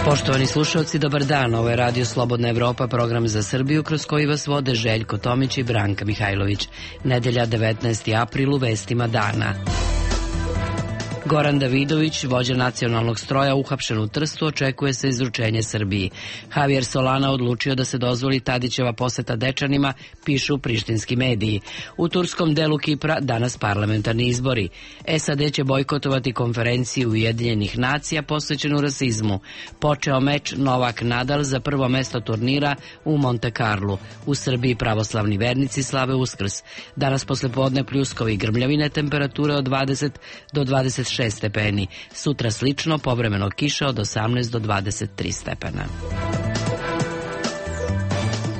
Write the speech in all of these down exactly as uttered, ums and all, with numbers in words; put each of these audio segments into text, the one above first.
Poštovani slušalci, dobar dan. Ovo je Radio Slobodna Evropa, program za Srbiju kroz koji vas vode Željko Tomić i Branka Mihajlović. Nedelja devetnaesti april u vestima dana. Goran Davidović, vođa nacionalnog stroja, uhapšen u Trstu, očekuje se izručenje Srbiji. Javier Solana odlučio da se dozvoli Tadićeva poseta Dečanima, pišu prištinski mediji. U turskom delu Kipra danas parlamentarni izbori. S A D će bojkotovati konferenciju Ujedinjenih nacija posvećenu rasizmu. Počeo meč Novak-Nadal za prvo mesto turnira u Monte Carlu. U Srbiji pravoslavni vernici slave Uskrs. Danas poslepodne pljuskovi i grmljavine, temperature od dvadeset do dvadeset šest stepeni. Sutra slično, povremeno kiša od osamnaest do dvadeset tri stepena.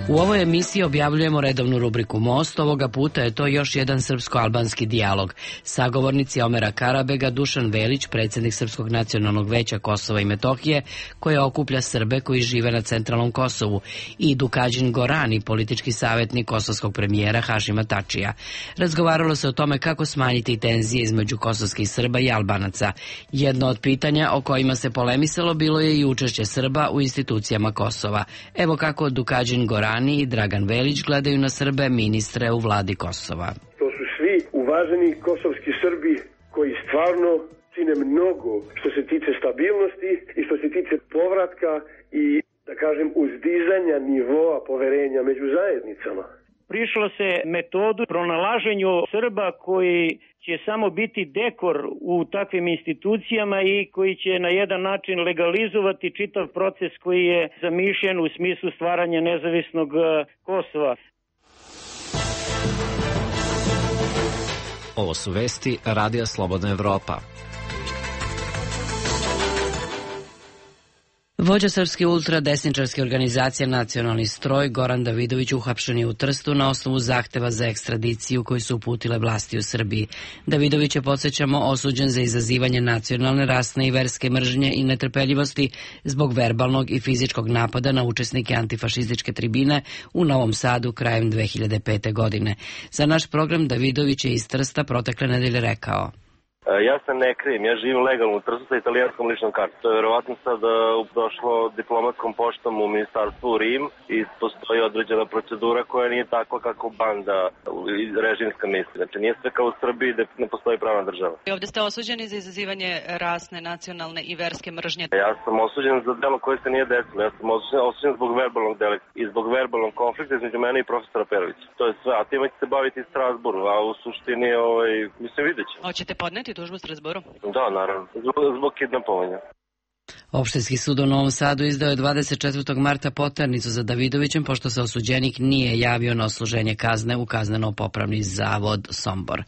U ovoj emisiji objavljujemo redovnu rubriku Most. Ovoga puta je to još jedan srpsko-albanski dijalog. Sagovornici Omera Karabega, Dušan Velić, predsjednik Srpskog nacionalnog veća Kosova i Metohije, koje okuplja Srbe koji žive na centralnom Kosovu, i Dukađin Gorani, politički savjetnik kosovskog premijera Hašima Tačija. Razgovaralo se o tome kako smanjiti tenzije između kosovskih Srba i Albanaca. Jedno od pitanja o kojima se polemisalo bilo je i učešće Srba u institucijama Kosova. Evo kako Dukađin Gorani i Dragan Velić gledaju na Srbe, ministre u vladi Kosova. To su svi uvaženi kosovski Srbi koji stvarno čine mnogo što se tiče stabilnosti i što se tiče povratka i, da kažem, uzdizanja nivoa poverenja među zajednicama. Prišlo se metodu pronalaženju Srba koji će samo biti dekor u takvim institucijama i koji će na jedan način legalizovati čitav proces koji je zamišljen u smislu stvaranja nezavisnog Kosova. Ovo su vesti Radija Slobodna Evropa. Vođa srpske ultradesničarske organizacije Nacionalni stroj Goran Davidović uhapšen je u Trstu na osnovu zahteva za ekstradiciju koji su uputile vlasti u Srbiji. Davidović je, podsjećamo, osuđen za izazivanje nacionalne, rasne i verske mržnje i netrpeljivosti zbog verbalnog i fizičkog napada na učesnike antifašističke tribine u Novom Sadu krajem dve hiljade pete. godine. Za naš program Davidović je iz Trsta protekle nedelje rekao: Ja se ne krijem, ja živim legalno u Trstu sa italijanskom ličnom kartom. To je verovatno sad došlo diplomatskom poštom u ministarstvu u Rim i postoji određena procedura koja nije takva kako banda režimska misli. Znači nije sve kao u Srbiji da ne postoji pravna država. I ovdje ste osuđeni za izazivanje rasne, nacionalne i verske mržnje. Ja sam osuđen za delo koje se nije desilo. Ja sam osuđen, osuđen zbog verbalnog dela i zbog verbalnog konflikta između mene i profesora Perovića. To je sve. A time će se baviti Strasbourg, a u suštini, ovaj, mislim, vidjet ćemo. Hoćete podneti tužbu u Strasbourgu? Da, naravno. Zbog, zbog kidnapovanja. Opštinski sud u Novom Sadu izdao je dvadeset četvrtog marta poternicu za Davidovićem, pošto se osuđenik nije javio na odsluženje kazne u kazneno-popravni zavod Sombor.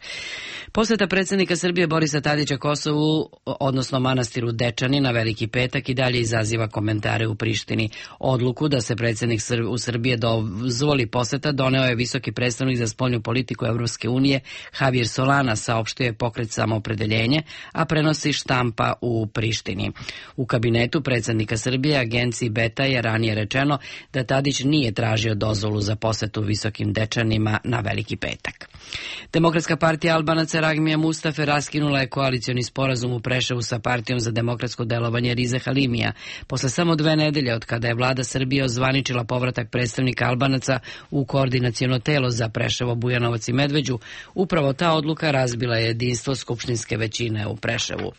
Poseta predsjednika Srbije Borisa Tadića Kosovu, odnosno manastiru Dečani, na Veliki petak i dalje izaziva komentare u Prištini. Odluku da se predsjednik u Srbije dozvoli poseta doneo je visoki predstavnik za spoljnu politiku Evropske unije Javier Solana, saopštio je Pokret Samoopredeljenje, a prenosi štampa u Prištini. U kabinetu predsjednika Srbije agenciji Beta je ranije rečeno da Tadić nije tražio dozvolu za posetu Visokim Dečanima na Veliki petak. Demokratska partija Albanaca Ragmija Mustafe raskinula je koalicioni sporazum u Preševu sa partijom za demokratsko delovanje Rize Halimija. Posle samo dve nedelje od kada je vlada Srbije ozvaničila povratak predstavnika Albanaca u koordinaciono telo za Preševo, Bujanovac i Medveđu, upravo ta odluka razbila je jedinstvo skupštinske većine u Preševu.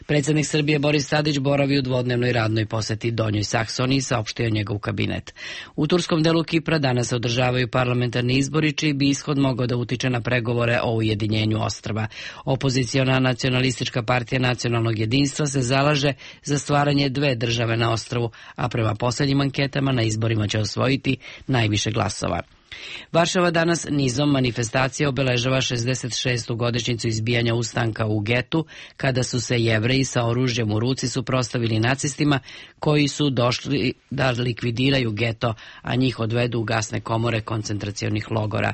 Predsjednik Srbije Boris Tadić boravi u dvodnevnoj radnoj poseti Donjoj Saksoniji, saopštio njegov kabinet. U turskom delu Kipra danas se održavaju parlamentarni izbori, čiji bi ishod mogao da utiče na pregovore o ujedinjenju ostrva. Opoziciona nacionalistička partija nacionalnog jedinstva se zalaže za stvaranje dve države na ostrvu, a prema posljednjim anketama na izborima će osvojiti najviše glasova. Varšava danas nizom manifestacija obeležava šezdeset šestu godišnjicu izbijanja ustanka u getu, kada su se Jevreji sa oružjem u ruci suprotstavili nacistima koji su došli da likvidiraju geto, a njih odvedu u gasne komore koncentracionih logora.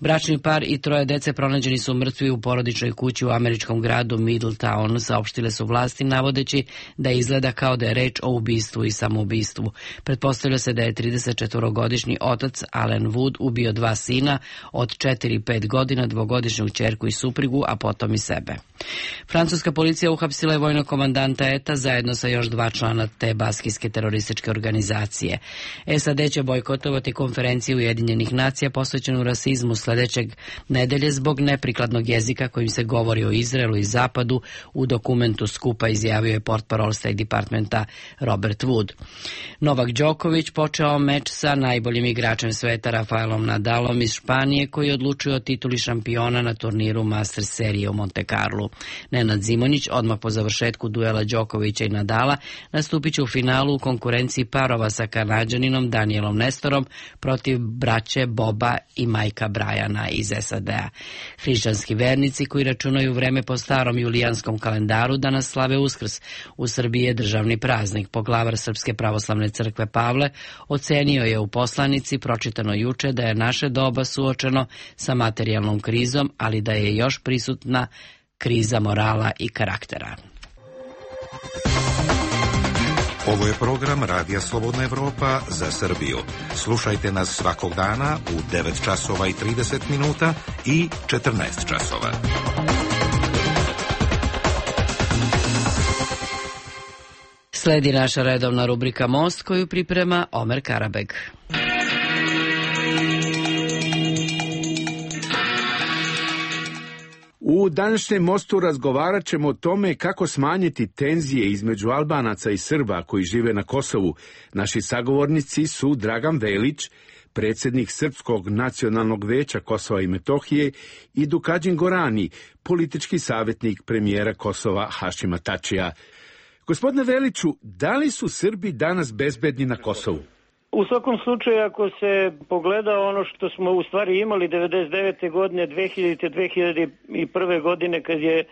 Bračni par i troje dece pronađeni su mrtvi u porodičnoj kući u američkom gradu Middletown, saopštile su vlasti, navodeći da izgleda kao da je reč o ubistvu i samoubistvu. Pretpostavlja se da je tridesetčetvorogodišnji otac Alan Wood Wood ubio dva sina od četiri i pet godina, dvogodišnju ćerku i suprugu, a potom i sebe. Francuska policija uhapsila je vojnog komandanta E T A zajedno sa još dva člana te baskijske terorističke organizacije. S A D će bojkotovati konferenciju Ujedinjenih nacija posvećenu rasizmu sledećeg nedelje zbog neprikladnog jezika kojim se govori o Izraelu i Zapadu, u dokumentu skupa izjavio je portparol State Departmenta Robert Wood. Novak Đoković počeo meč sa najboljim igračem sveta Rafaelom Nadalom iz Španije, koji odlučuje o tituli šampiona na turniru Masters serije u Monte Carlu. Nenad Zimonjić odmah po završetku duela Đokovića i Nadala nastupit će u finalu u konkurenciji parova sa Kanađaninom Danielom Nestorom protiv braće Boba i Majka Brajana iz S A D-a. Hrišćanski vernici koji računaju vreme po starom julijanskom kalendaru danas slave Uskrs. U Srbiji je državni praznik. Poglavar Srpske pravoslavne crkve Pavle ocenio je u poslanici pročitano juče da je naše doba suočeno sa materijalnom krizom, ali da je još prisutna kriza morala i karaktera. Ovo je program Radija Slobodna Evropa za Srbiju. Slušajte nas svakog dana u devet časova i trideset minuta i četrnaest časova. Sledi naša redovna rubrika Most koju priprema Omer Karabeg. U današnjem Mostu razgovarat ćemo o tome kako smanjiti tenzije između Albanaca i Srba koji žive na Kosovu. Naši sagovornici su Dragan Velić, predsjednik Srpskog nacionalnog veća Kosova i Metohije, i Dukadžin Gorani, politički savjetnik premijera Kosova Hašima Tačija. Gospodine Veliću, da li su Srbi danas bezbedni na Kosovu? U svakom slučaju, ako se pogleda ono što smo u stvari imali devedeset devete godine, dve hiljadite. dve hiljade prve. godine, kad je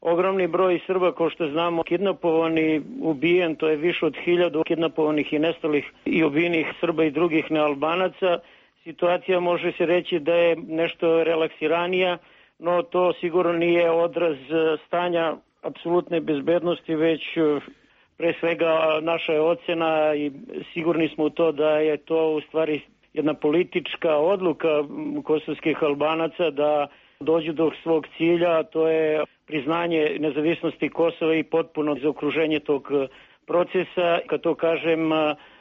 ogromni broj Srba, kao što znamo, kidnapovan i ubijen, to je više od hiljadu kidnapovanih i nestalih i ubijenih Srba i drugih nealbanaca, situacija može se reći da je nešto relaksiranija, no to sigurno nije odraz stanja apsolutne bezbednosti, već pre svega naša je ocena i sigurni smo u to da je to u stvari jedna politička odluka kosovskih Albanaca da dođu do svog cilja, to je priznanje nezavisnosti Kosova i potpuno zaokruženje tog procesa. Kad to kažem,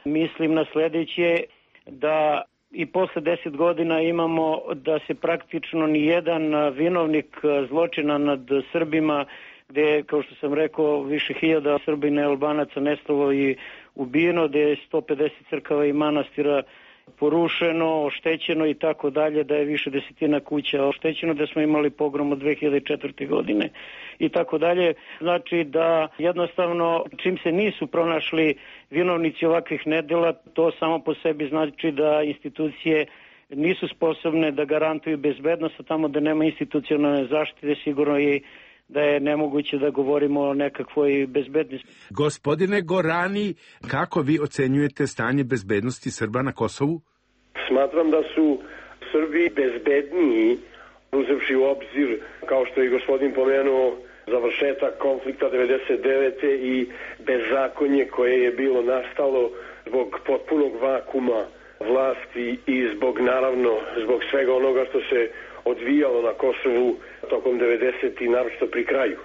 mislim na sledeće, da i posle deset godina imamo da se praktično ni jedan vinovnik zločina nad Srbima, gde, kao što sam rekao, više hiljada Srbina i Albanaca nestalo i ubijeno, gde je sto pedeset crkava i manastira porušeno, oštećeno i tako dalje, da je više desetina kuća oštećeno, da smo imali pogrom od dve hiljade četvrte. godine i tako dalje. Znači da jednostavno čim se nisu pronašli vinovnici ovakvih nedela, to samo po sebi znači da institucije nisu sposobne da garantuju bezbednost, a tamo da nema institucionalne zaštite sigurno i da je nemoguće da govorimo o nekakvoj bezbednosti. Gospodine Gorani, kako vi ocenjujete stanje bezbednosti Srba na Kosovu? Smatram da su Srbi bezbedniji, uzevši u obzir, kao što je gospodin pomenuo, završetak konflikta devedeset devete. i bezakonje koje je bilo nastalo zbog potpunog vakuma vlasti i zbog, naravno, zbog svega onoga što se odvijalo na Kosovu tokom devedesetih i naročito pri kraju.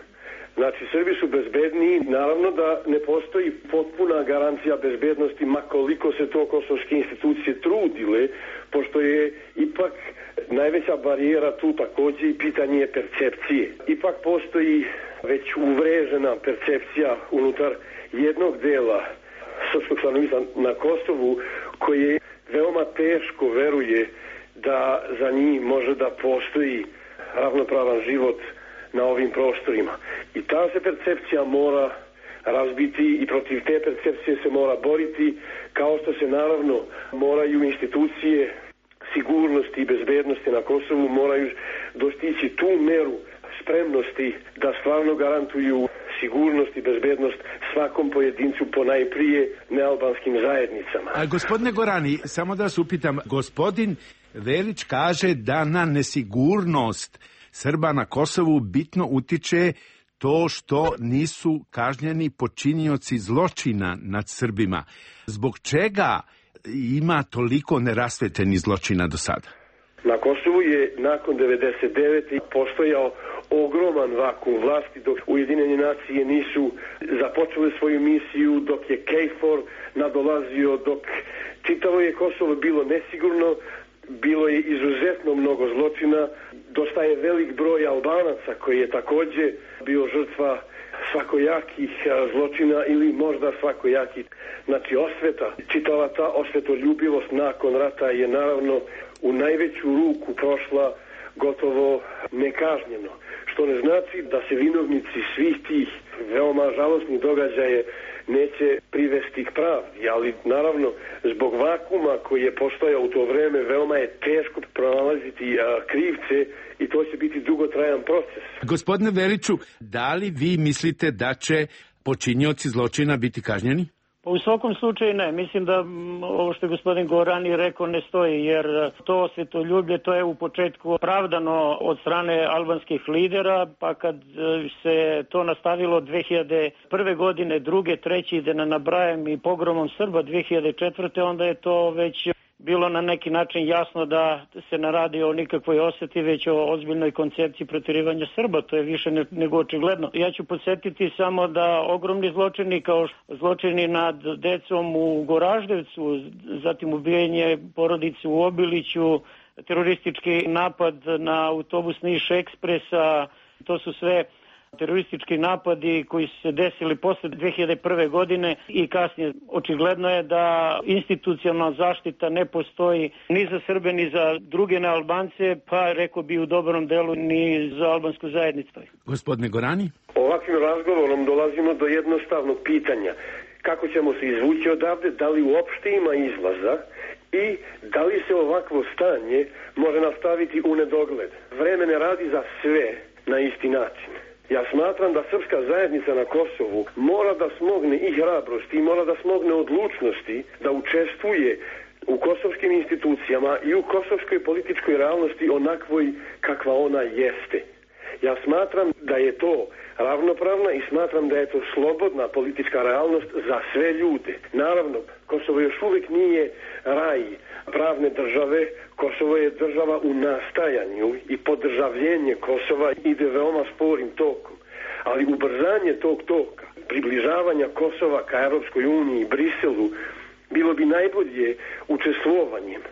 Znači, Srbi su bezbedniji, naravno da ne postoji potpuna garancija bezbednosti, makoliko se to kosovske institucije trudile, pošto je ipak najveća barijera tu takođe i pitanje percepcije. Ipak postoji već uvrežena percepcija unutar jednog dela srpskog stanovništva na Kosovu, koje veoma teško veruje da za njih može da postoji ravnopravan život na ovim prostorima. I ta se percepcija mora razbiti i protiv te percepcije se mora boriti, kao što se naravno moraju institucije sigurnosti i bezbednosti na Kosovu moraju dostići tu meru spremnosti da stvarno garantuju sigurnost i bezbednost svakom pojedincu, ponajprije nealbanskim zajednicama. A gospodine Gorani, samo da vas upitam, gospodin Velić kaže da na nesigurnost Srba na Kosovu bitno utiče to što nisu kažnjeni počinioci zločina nad Srbima. Zbog čega ima toliko nerasvetljenih zločina do sada? Na Kosovu je nakon devedeset devete postojao ogroman vakuum vlasti dok Ujedinjene nacije nisu započele svoju misiju, dok je KFOR nadolazio, dok čitavo je Kosovo bilo nesigurno, bilo je izuzetno mnogo zločina, dosta je velik broj Albanaca koji je takođe bio žrtva svakojakih zločina ili možda svakojakih, znači osveta. Čitava ta osvetoljubivost nakon rata je naravno u najveću ruku prošla gotovo nekažnjeno, što ne znači da se vinovnici svih tih veoma žalosnih događaja neće privesti k pravdi, ali naravno zbog vakuma koji je postojao u to vreme veoma je teško pronalaziti a, krivce i to će biti dugotrajan proces. Gospodine Veliću, da li vi mislite da će počinioci zločina biti kažnjeni? Pa u svakom slučaju ne. Mislim da ovo što je gospodin Gorani rekao ne stoji, jer to osvetoljublje to je u početku pravdano od strane albanskih lidera, pa kad se to nastavilo dve hiljade prve godine, druge, treće, da ne nabrajam i pogromom Srba dve hiljade četvrte. onda je to već bilo na neki način jasno da se ne radi o nikakvoj osveti, već o ozbiljnoj koncepciji proterivanja Srba. To je više nego očigledno. Ja ću podsjetiti samo da ogromni zločini kao zločini nad decom u Goraždevcu, zatim ubijanje porodice u Obiliću, teroristički napad na autobus Niš Ekspresa, to su sve teroristički napadi koji su se desili posle dve hiljade prve. godine i kasnije. Očigledno je da institucionalna zaštita ne postoji ni za Srbe, ni za druge nealbance, pa rekao bi u dobrom delu ni za albansku zajednicu. Gospodine Gorani? Ovakvim razgovorom dolazimo do jednostavnog pitanja. Kako ćemo se izvući odavde, da li uopšte ima izlaza i da li se ovakvo stanje može nastaviti u nedogled. Vreme ne radi za sve na isti način. Ja smatram da srpska zajednica na Kosovu mora da smogne i hrabrosti i mora da smogne odlučnosti da učestvuje u kosovskim institucijama i u kosovskoj političkoj realnosti onakvoj kakva ona jeste. Ja smatram da je to ravnopravna i smatram da je to slobodna politička realnost za sve ljude. Naravno, Kosovo još uvijek nije raj pravne države, Kosovo je država u nastajanju i podržavljenje Kosova ide veoma sporim tokom. Ali ubrzanje tog toka, približavanja Kosova ka Europskoj uniji i Briselu, bilo bi najbolje učestvovanjem.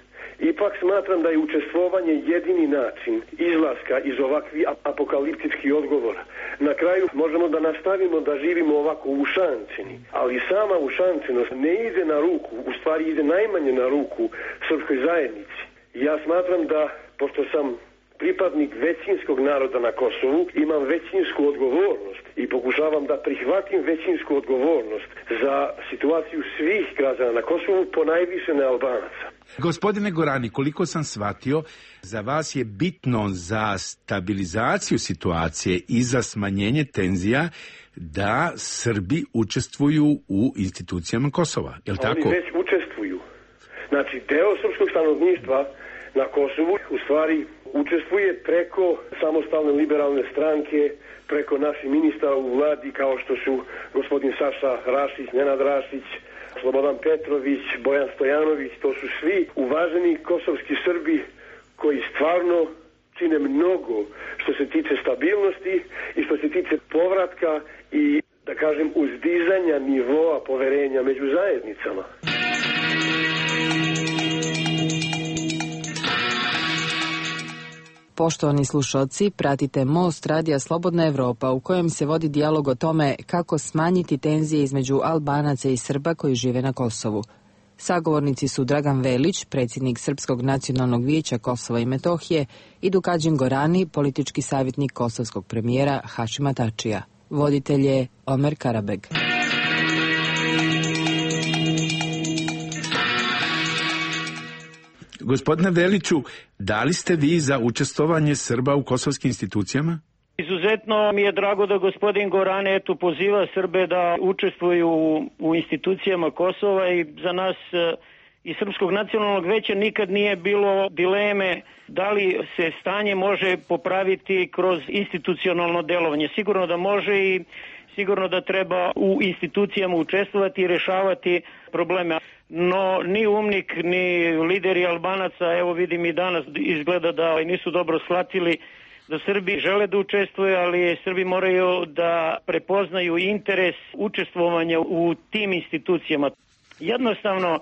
Ipak smatram da je učestvovanje jedini način izlaska iz ovakvih apokaliptičkih odgovora. Na kraju možemo da nastavimo da živimo ovako ušančeni, ali sama ušančenost ne ide na ruku, u stvari ide najmanje na ruku srpskoj zajednici. Ja smatram da, pošto sam pripadnik većinskog naroda na Kosovu, imam većinsku odgovornost i pokušavam da prihvatim većinsku odgovornost za situaciju svih građana na Kosovu, ponajviše nealbanaca. Gospodine Gorani, koliko sam shvatio, za vas je bitno za stabilizaciju situacije i za smanjenje tenzija da Srbi učestvuju u institucijama Kosova, je li tako? Oni već učestvuju. Znači, deo srpskog stanovništva na Kosovu u stvari učestvuje preko samostalne liberalne stranke, preko naših ministara u vladi kao što su gospodin Saša Rašić, Nenad Rašić, Slobodan Petrović, Bojan Stojanović. To su svi uvaženi kosovski Srbi koji stvarno čine mnogo što se tiče stabilnosti i što se tiče povratka i, da kažem, uzdizanja nivoa poverenja među zajednicama. Poštovani slušalci, pratite Most Radija Slobodna Evropa u kojem se vodi dijalog o tome kako smanjiti tenzije između Albanaca i Srba koji žive na Kosovu. Sagovornici su Dragan Velić, predsjednik Srpskog nacionalnog vijeća Kosova i Metohije, i Dukadžin Gorani, politički savjetnik kosovskog premijera Hašima Tačija. Voditelj je Omer Karabeg. Gospodine Veliću, da li ste vi za učestvovanje Srba u kosovskim institucijama? Izuzetno mi je drago da gospodin Gorane eto poziva Srbe da učestvuju u, u institucijama Kosova i za nas iz Srpskog nacionalnog veća nikad nije bilo dileme da li se stanje može popraviti kroz institucionalno delovanje. Sigurno da može i sigurno da treba u institucijama učestvovati i rešavati probleme. No, ni UMNIK, ni lideri Albanaca, evo vidim i danas izgleda da nisu dobro shvatili da Srbi žele da učestvuju, ali Srbi moraju da prepoznaju interes učestvovanja u tim institucijama. Jednostavno,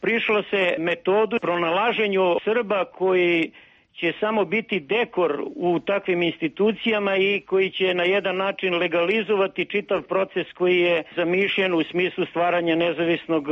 prišlo se metodu pronalaženju Srba koji će samo biti dekor u takvim institucijama i koji će na jedan način legalizovati čitav proces koji je zamišljen u smislu stvaranja nezavisnog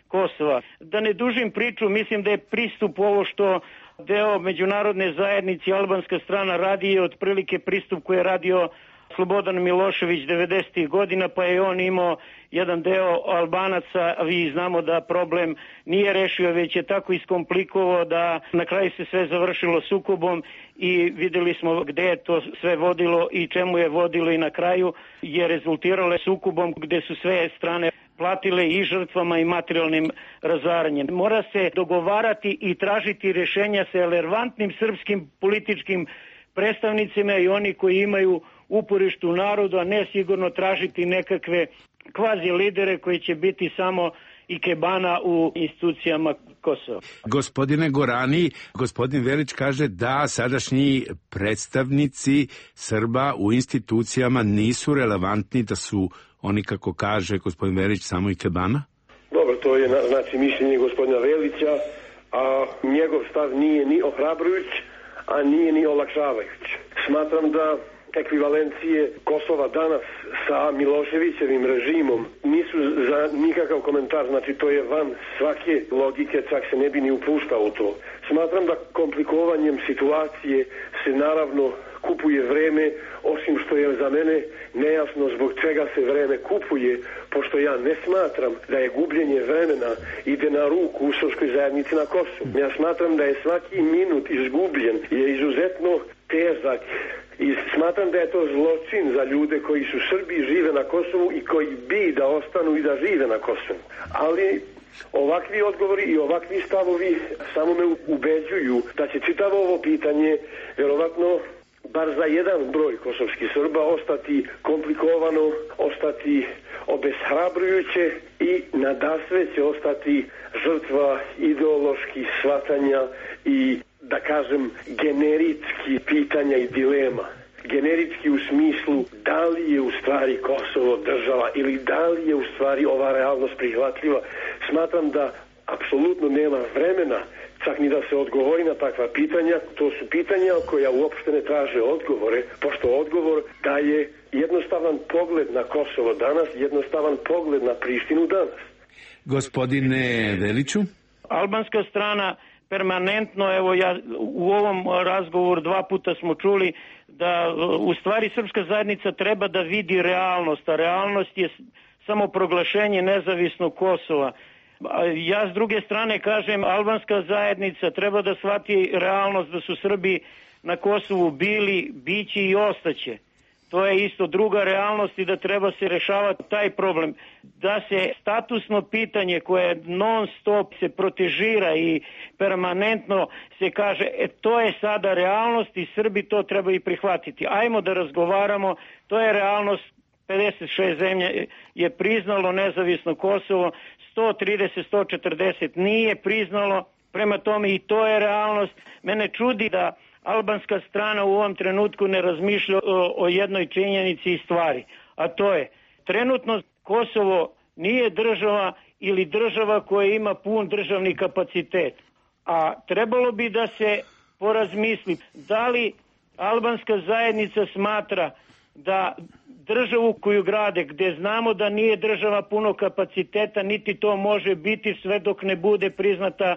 Kosova. Da ne dužim priču, mislim da je pristup ovo što deo međunarodne zajednice i albanska strana radi je otprilike pristup koji je radio Slobodan Milošević devedesetih godina, pa je on imao jedan deo Albanaca, a vi znamo da problem nije rešio, već je tako iskomplikovao da na kraju se sve završilo sukobom i videli smo gde je to sve vodilo i čemu je vodilo i na kraju je rezultiralo sukobom gde su sve strane platile i žrtvama i materijalnim razaranjem. Mora se dogovarati i tražiti rešenja sa relevantnim srpskim političkim predstavnicima i oni koji imaju uporište u narodu, a ne sigurno tražiti nekakve kvazi lidere koji će biti samo ikebana u institucijama Kosova. Gospodine Gorani, gospodin Velić kaže da sadašnji predstavnici Srba u institucijama nisu relevantni, da su oni, kako kaže gospodin Velić, samo ikebana? Dobro, to je znači mišljenje gospodina Velića, a njegov stav nije ni ohrabrujuć, a nije ni olakšavajuć. Smatram da ekvivalencije Kosova danas sa Miloševićevim režimom nisu za nikakav komentar, znači to je van svake logike, čak se ne bi ni upuštao u to. Smatram da komplikovanjem situacije se naravno kupuje vreme, osim što je za mene nejasno zbog čega se vreme kupuje, pošto ja ne smatram da je gubljenje vremena ide na ruku u srpskoj zajednici na Kosovu. Ja smatram da je svaki minut izgubljen, je izuzetno težak i smatram da je to zločin za ljude koji su Srbi, žive na Kosovu i koji bi da ostanu i da žive na Kosovu. Ali ovakvi odgovori i ovakvi stavovi samo me ubeđuju da će čitavo ovo pitanje verovatno bar za jedan broj kosovskih Srba ostati komplikovano, ostati obeshrabrujuće i nadasve će ostati žrtva ideoloških shvatanja i, da kažem, generički pitanja i dilema. Generički u smislu da li je u stvari Kosovo država ili da li je u stvari ova realnost prihvatljiva. Smatram da apsolutno nema vremena čak ni da se odgovori na takva pitanja. To su pitanja koja uopšte ne traže odgovore, pošto odgovor daje jednostavan pogled na Kosovo danas, jednostavan pogled na Prištinu danas. Gospodine Veliću? Albanska strana permanentno, evo ja u ovom razgovoru dva puta smo čuli da u stvari srpska zajednica treba da vidi realnost, a realnost je samo proglašenje nezavisnog Kosova. Ja s druge strane kažem, albanska zajednica treba da shvati realnost da su Srbi na Kosovu bili, bići i ostaće. To je isto druga realnost i da treba se rešavati taj problem. Da se statusno pitanje koje non stop se protežira i permanentno se kaže, e, to je sada realnost i Srbi to treba i prihvatiti. Ajmo da razgovaramo, to je realnost, pedeset šest zemlja je priznalo nezavisno Kosovo, sto trideset, sto četrdeset nije priznalo, prema tome i to je realnost. Mene čudi da albanska strana u ovom trenutku ne razmišlja o, o jednoj činjenici i stvari, a to je trenutno Kosovo nije država ili država koja ima pun državni kapacitet, a trebalo bi da se porazmisli da li albanska zajednica smatra da državu koju grade, gde znamo da nije država puno kapaciteta, niti to može biti sve dok ne bude priznata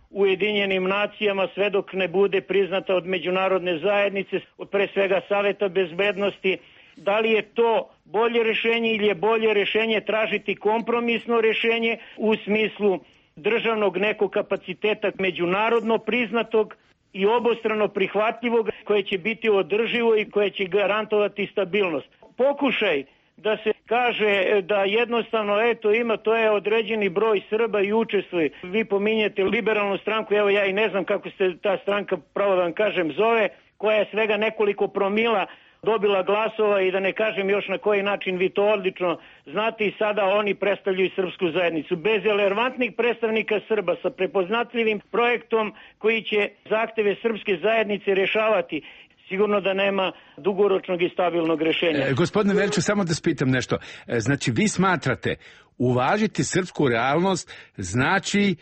Ujedinjenim nacijama, sve dok ne bude priznata od međunarodne zajednice, od pre svega Saveta bezbednosti, da li je to bolje rešenje ili je bolje rešenje tražiti kompromisno rešenje u smislu državnog nekog kapaciteta međunarodno priznatog i obostrano prihvatljivog koje će biti održivo i koje će garantovati stabilnost. Pokušaj da se kaže da jednostavno eto ima, to je određeni broj Srba i učestvuje. Vi pominjete liberalnu stranku, evo ja i ne znam kako se ta stranka, pravo da vam kažem, zove, koja je svega nekoliko promila dobila glasova i da ne kažem još na koji način, vi to odlično znate, i sada oni predstavljaju srpsku zajednicu. Bez relevantnih predstavnika Srba sa prepoznatljivim projektom koji će zahteve srpske zajednice rješavati, sigurno da nema dugoročnog i stabilnog rješenja. E, gospodine Veliću, samo da spitam nešto. E, znači, vi smatrate uvažiti srpsku realnost znači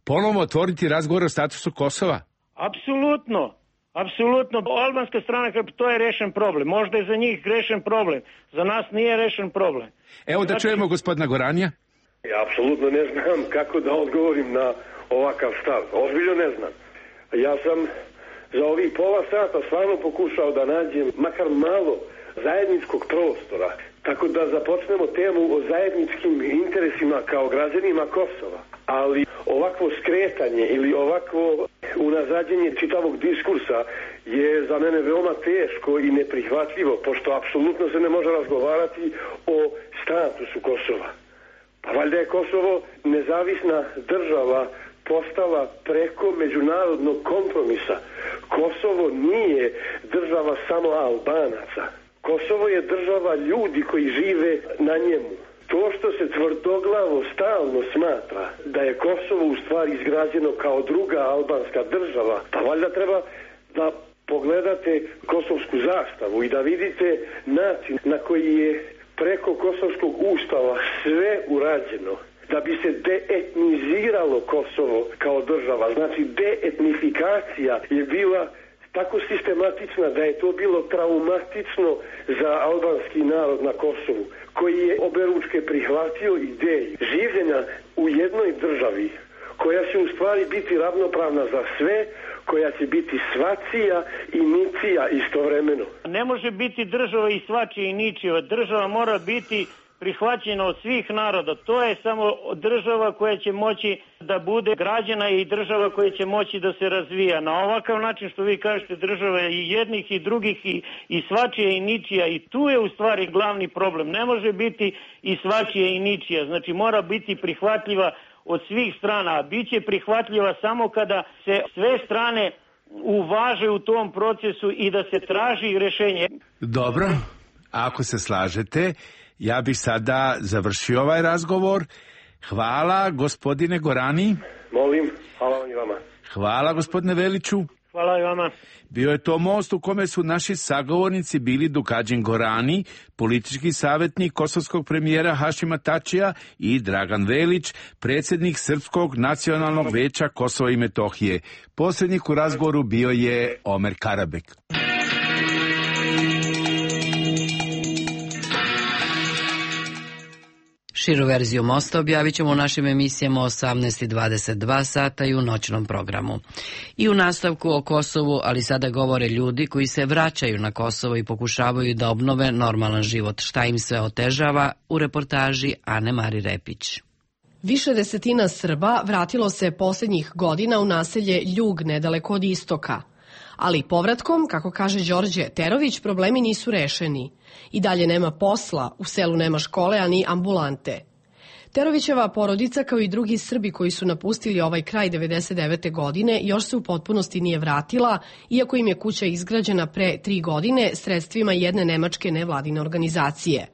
ponovo otvoriti razgovor o statusu Kosova? Apsolutno. Apsolutno. Albanska strana, to je rešen problem. Možda je za njih rešen problem. Za nas nije rešen problem. Evo da znači... čujemo gospodina Goranija. Ja apsolutno ne znam kako da odgovorim na ovakav stav. Ozbiljno ne znam. Ja sam za ovih pola sata stvarno pokušao da nađem makar malo zajedničkog prostora. Tako da započnemo temu o zajedničkim interesima kao građanima Kosova. Ali ovakvo skretanje ili ovakvo unazađenje čitavog diskursa je za mene veoma teško i neprihvatljivo, pošto apsolutno se ne može razgovarati o statusu Kosova. Pa valjda je Kosovo nezavisna država postala preko međunarodnog kompromisa. Kosovo nije država samo Albanaca. Kosovo je država ljudi koji žive na njemu. To što se tvrdoglavo stalno smatra da je Kosovo u stvari izgrađeno kao druga albanska država, pa valjda treba da pogledate kosovsku zastavu i da vidite način na koji je preko kosovskog ustava sve urađeno da bi se deetniziralo Kosovo kao država. Znači, deetnifikacija je bila tako sistematična da je to bilo traumatično za albanski narod na Kosovu, koji je oberučke prihvatio ideju življenja u jednoj državi koja će u stvari biti ravnopravna za sve, koja će biti svačija i ničija istovremeno. Ne može biti država i svačija i ničija. Država mora biti prihvaćena od svih naroda. To je samo država koja će moći da bude građana i država koja će moći da se razvija. Na ovakav način što vi kažete, država i jednih i drugih i, i svačija i ničija, i tu je u stvari glavni problem. Ne može biti i svačija i ničija. Znači mora biti prihvatljiva od svih strana, a bit će prihvatljiva samo kada se sve strane uvaže u tom procesu i da se traži rješenje. Dobro, ako se slažete, ja bih sada završio ovaj razgovor. Hvala, gospodine Gorani. Molim, hvala vam i vama. Hvala, gospodine Veliću. Hvala i vama. Bio je to most u kome su naši sagovornici bili Dukadžin Gorani, politički savjetnik kosovskog premijera Hašima Tačija, i Dragan Velić, predsjednik Srpskog nacionalnog veća Kosova i Metohije. Posrednik u razgovoru bio je Omer Karabek. Širu verziju mosta objavit ćemo u našim emisijama osamnaest i dvadeset dva sata i u noćnom programu. I u nastavku o Kosovu, ali sada govore ljudi koji se vraćaju na Kosovo i pokušavaju da obnove normalan život. Šta im sve otežava, u reportaži Ane Mari Repić. Više desetina Srba vratilo se posljednjih godina u naselje Ljug nedaleko od istoka. Ali povratkom, kako kaže Đorđe Terović, problemi nisu rešeni. I dalje nema posla, u selu nema škole, a ni ambulante. Terovićeva porodica, kao i drugi Srbi koji su napustili ovaj kraj devedeset devete godine, još se u potpunosti nije vratila, iako im je kuća izgrađena pre tri godine sredstvima jedne nemačke nevladine organizacije.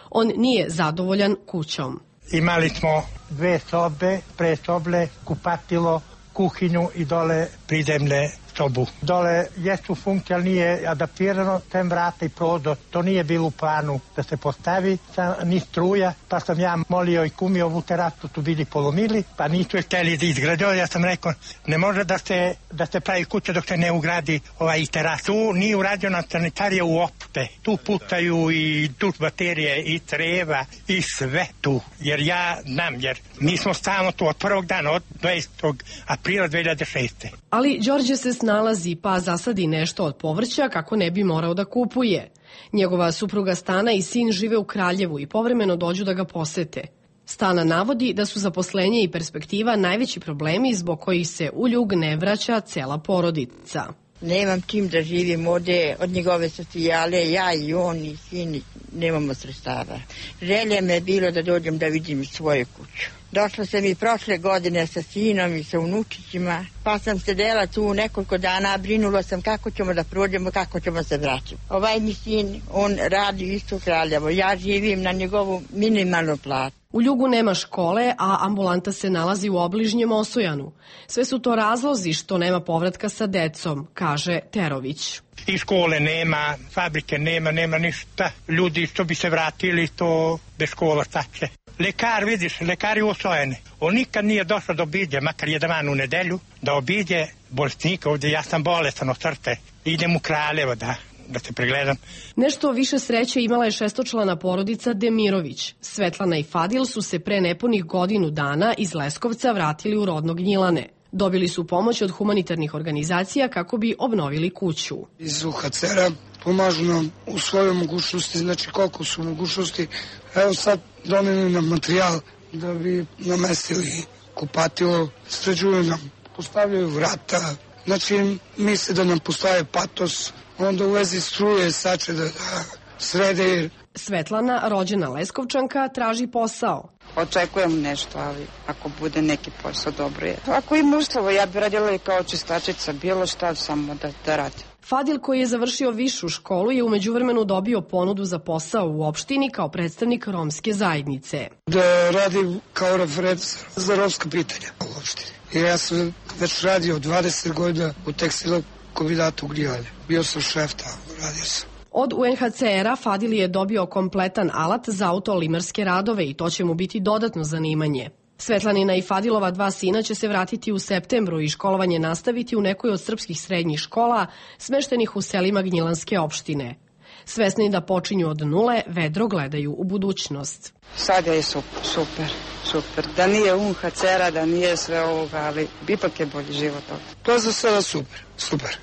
On nije zadovoljan kućom. Imali smo dve sobe, presoble, kupatilo, kuhinju i dole pridemne sobu. Dole jesu funkcija, ali nije adaptirano, tem vrata i prozor. To nije bilo u planu da se postavi, ni struja, pa sam ja molio i kumio ovu terasu, tu bili polomili, pa nisu je hteli da izgradio. Ja sam rekao, ne može da se, da se pravi kuća dok se ne ugradi ovaj teras. Tu nije urađena sanitarija uopšte. Tu putaju i duš baterije i treba i sve tu. Jer ja znam, jer mi smo stalno tu od prvog dana, od dvadesetog aprila dve hiljade šeste. Ali Đorđe se snalazi pa zasadi nešto od povrća kako ne bi morao da kupuje. Njegova supruga Stana i sin žive u Kraljevu i povremeno dođu da ga posete. Stana navodi da su zaposlenje i perspektiva najveći problemi zbog kojih se u Ljug ne vraća cela porodica. Nemam čim da živim ovde, od njegove socijale, ja i on i sin, nemamo sredstava. Želja me je bilo da dođem da vidim svoju kuću. Došla sam i prošle godine sa sinom i sa unučićima, pa sam sedela tu nekoliko dana, brinula sam kako ćemo da prođemo, kako ćemo se vraćati. Ovaj mi sin, on radi isto u Kraljevo, ja živim na njegovu minimalnu platu. U Ljugu nema škole, a ambulanta se nalazi u obližnjem Osojanu. Sve su to razlozi što nema povratka sa decom, kaže Terović. I škole nema, fabrike nema, nema ništa. Ljudi što bi se vratili, to bez škola šta će. Lekar, vidiš, lekari u Osojane. On nikad nije došao da obiđe, makar jedan dan u nedelju, da obiđe bolesnika ovdje. Ja sam bolestan od srce. Idem u Kraljevo da... da se pregledam. Nešto više sreće imala je šestočlana porodica Demirović. Svetlana i Fadil su se pre nepunih godinu dana iz Leskovca vratili u rodno Gnjilane. Dobili su pomoć od humanitarnih organizacija kako bi obnovili kuću. Iz U H C R-a pomažu nam u svojoj mogućnosti, znači koliko su mogućnosti. Evo sad doneli nam materijal da bi namestili kupatilo, sređuju nam, postavljaju vrata, znači misle da nam postaje patos, onda u vezi struje sače da, da srede. Svetlana, rođena Leskovčanka, traži posao. Očekujem nešto, ali ako bude neki posao, dobro je. Ako ima uslova, ja bi radila i kao čistačica, bilo šta samo da, da radim. Fadil, koji je završio višu školu, je u međuvremenu dobio ponudu za posao u opštini kao predstavnik romske zajednice. Da radim kao referent za romska pitanja u opštini. I ja sam već radio dvadeset godina u tekstilu kombinatu u Gnjilane. Bio sam šef tamo, radio sam. Od U N H C R-a Fadil je dobio kompletan alat za autolimarske radove i to će mu biti dodatno zanimanje. Svetlanina i Fadilova dva sina će se vratiti u septembru i školovanje nastaviti u nekoj od srpskih srednjih škola smeštenih u selima Gnjilanske opštine. Svesni da počinju od nule, vedro gledaju u budućnost. Sad je super, super, super. Da nije U N H C R-a, da nije sve ovoga, ali ipak je bolji život ovdje. To je za sada super, super.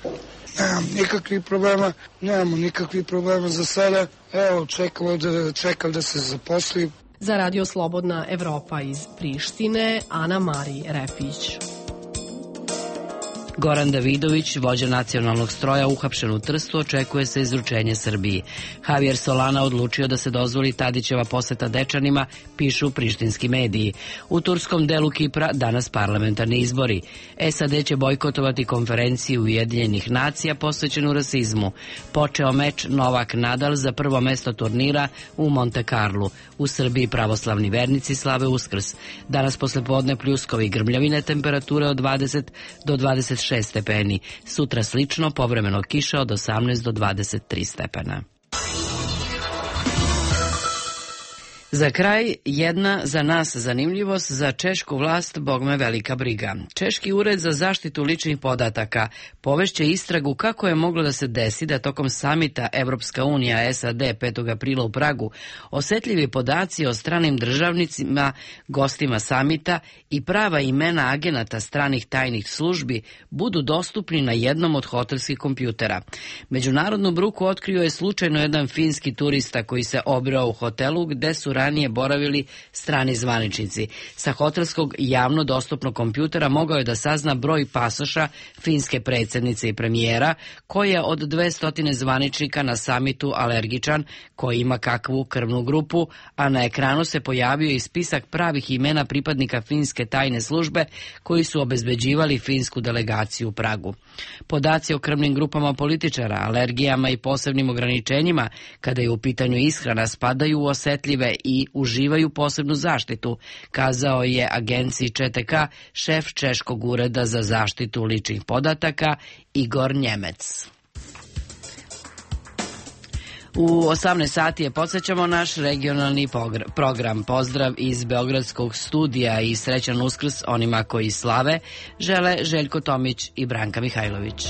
Nemam nikakvih problema, nemamo nikakvih problema za sada. Evo, čekamo da, čekam da se zaposlim. Za Radio Slobodna Evropa iz Prištine, Ana Mari Repić. Goran Davidović, vođa nacionalnog stroja, uhapšen u Trstu, očekuje se izručenje Srbiji. Javier Solana odlučio da se dozvoli Tadićeva poseta Dečanima, pišu prištinski mediji. U turskom delu Kipra danas parlamentarni izbori. S A D će bojkotovati konferenciju Ujedinjenih nacija posvećenu rasizmu. Počeo meč Novak-Nadal za prvo mesto turnira u Monte Carlu. U Srbiji pravoslavni vernici slave Uskrs. Danas poslepodne pljuskovi i grmljavine, temperature od dvadeset do dvadeset šest stepeni. Sutra slično, povremeno kiša od osamnaest do dvadeset tri stepena. Za kraj, jedna za nas zanimljivost, za češku vlast bogme velika briga. Češki ured za zaštitu ličnih podataka povešće istragu kako je moglo da se desi da tokom samita Evropska unija S A D petog aprila u Pragu osetljivi podaci o stranim državnicima, gostima samita i prava imena agenata stranih tajnih službi budu dostupni na jednom od hotelskih kompjutera. Međunarodnu bruku otkrio je slučajno jedan finski turista koji se obrao u hotelu gde su ranije boravili strani zvaničnici. Sa hotelskog javno dostupnog kompjutera mogao je da sazna broj pasoša finske predsjednice i premijera, koji je od dvesta zvaničnika na samitu alergičan, koji ima kakvu krvnu grupu, a na ekranu se pojavio i spisak pravih imena pripadnika finske tajne službe koji su obezbeđivali finsku delegaciju u Pragu. Podaci o krvnim grupama političara, alergijama i posebnim ograničenjima kada je u pitanju ishrana spadaju u osetljive i uživaju posebnu zaštitu, kazao je agenciji Č T K šef Češkog ureda za zaštitu ličnih podataka Igor Njemec. U osamnaest sati je podsjećamo naš regionalni program. Pozdrav iz Beogradskog studija i srećan Uskrs onima koji slave, žele Željko Tomić i Branka Mihajlović.